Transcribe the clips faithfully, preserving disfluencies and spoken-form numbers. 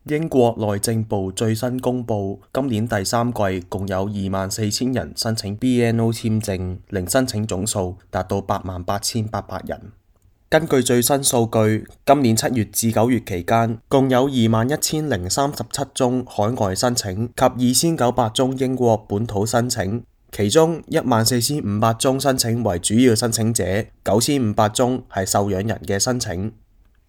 英國內政部最新公布，今年第三季共有二萬四千人申請 B N O 簽證，零申請總數達到八萬八千八百人。根據最新數據，今年七月至九月期間，共有二萬一千零三十七宗海外申請及二千九百宗英國本土申請，其中一萬四千五百宗申請為主要申請者，九千五百宗係受養人嘅申請。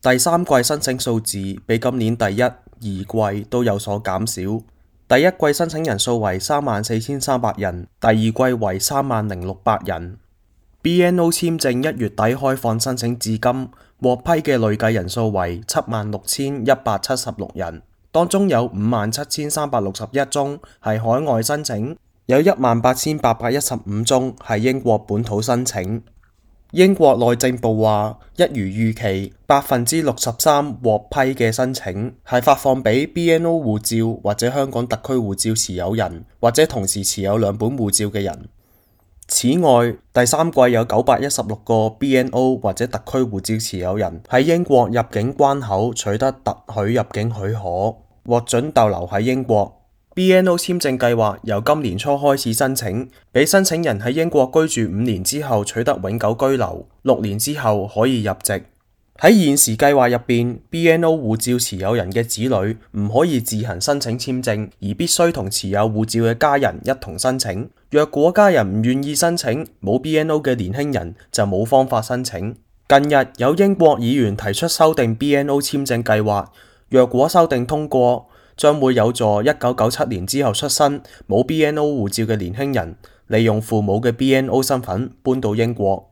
第三季申請數字比今年第一、二季都有所減少。第一季申請人數為三萬四千三百人，第二季為三萬零六百人。B N O 簽證一月底開放申請至今，獲批嘅累計人數為七萬六千一百七十六人，當中有五萬七千三百六十一宗係海外申請，有一萬八千八百一十五宗係英國本土申請。英國內政部話，一如預期，百分之六十三獲批嘅申請係發放俾 B N O 護照或者香港特區護照持有人，或者同時持有兩本護照嘅人。此外，第三季有九百一十六個 B N O 或者特區護照持有人喺英國入境關口取得特許入境許可，獲准逗留喺英國。B N O 簽證計劃由今年初開始申請，俾申請人喺英國居住五年之後取得永久居留，六年之後可以入籍。喺現時計劃入邊 ，B N O 護照持有人嘅子女唔可以自行申請簽證，而必須同持有護照嘅家人一同申請。若果家人唔願意申請，冇 B N O 嘅年輕人就冇方法申請。近日有英國議員提出修訂 B N O 簽證計劃，若果修訂通過，將會有助一九九七年之後出生冇 B N O 護照嘅年輕人，利用父母嘅 B N O 身份搬到英國。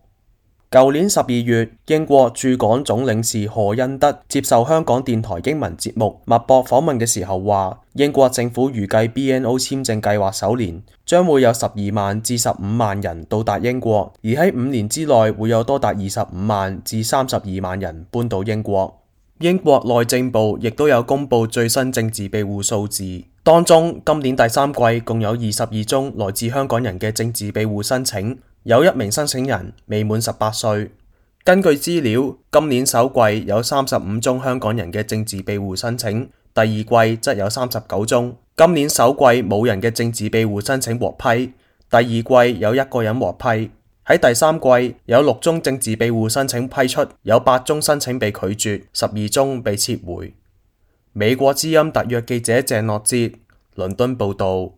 舊年十二月，英國駐港總領事何恩德接受香港電台英文節目脈搏訪問嘅時候話，英國政府預計 B N O 簽證計劃首年將會有十二萬至十五萬人到達英國，而喺五年之內會有多達二十五萬至三十二萬人搬到英國。英國內政部亦都有公布最新政治庇護數字，當中今年第三季共有二十二宗來自香港人嘅政治庇護申請，有一名申請人未滿十八歲。根據資料，今年首季有三十五宗香港人嘅政治庇護申請，第二季則有三十九宗。今年首季冇人嘅政治庇護申請獲批，第二季有一個人獲批。喺第三季有六宗政治庇護申請批出，有八宗申請被拒絕，十二宗被撤回。美國之音特約記者鄭樂哲，倫敦報道。